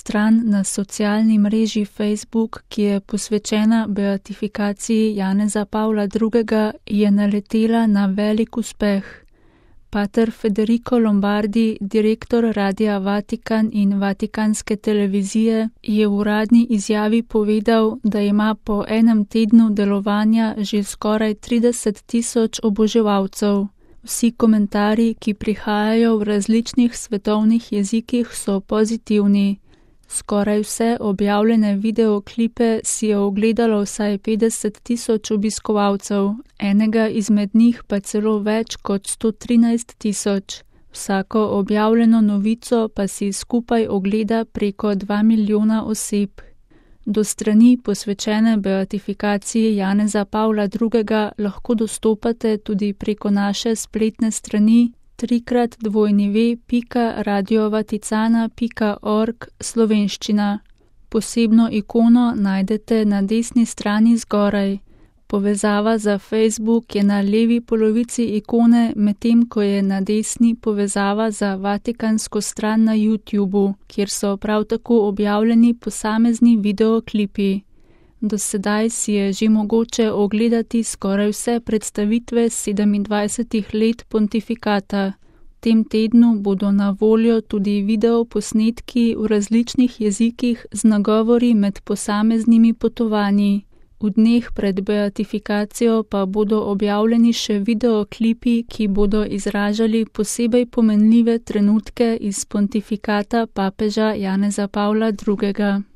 stran na socialni mreži Facebook, ki je posvečena beatifikaciji Janeza Pavla II., je naletela na velik uspeh. Pater Federico Lombardi, direktor Radia Vatikan in Vatikanske televizije, je v uradni izjavi povedal, da ima po enem tednu delovanja že skoraj 30.000 oboževalcev. Vsi komentarji, ki prihajajo v različnih svetovnih jezikih, so pozitivni. Skoraj vse objavljene videoklipe si je ogledalo vsaj 50.000 obiskovalcev, enega izmed njih pa celo več kot 113.000. Vsako objavljeno novico pa si skupaj ogleda preko 2 milijona oseb. Do strani posvečene beatifikaciji Janeza Pavla II. Lahko dostopate tudi preko naše spletne strani www.radiovaticana.org slovenščina. Posebno ikono najdete na desni strani zgoraj. Povezava za Facebook je na levi polovici ikone, medtem ko je na desni povezava za vatikansko stran na YouTubu, kjer so prav tako objavljeni posamezni videoklipi. Do sedaj si je že mogoče ogledati skoraj vse predstavitve 27 let pontifikata. V tem tednu bodo na voljo tudi videoposnetki v različnih jezikih z nagovori med posameznimi potovanji. V dneh pred beatifikacijo pa bodo objavljeni še videoklipi, ki bodo izražali posebej pomenljive trenutke iz pontifikata papeža Janeza Pavla II.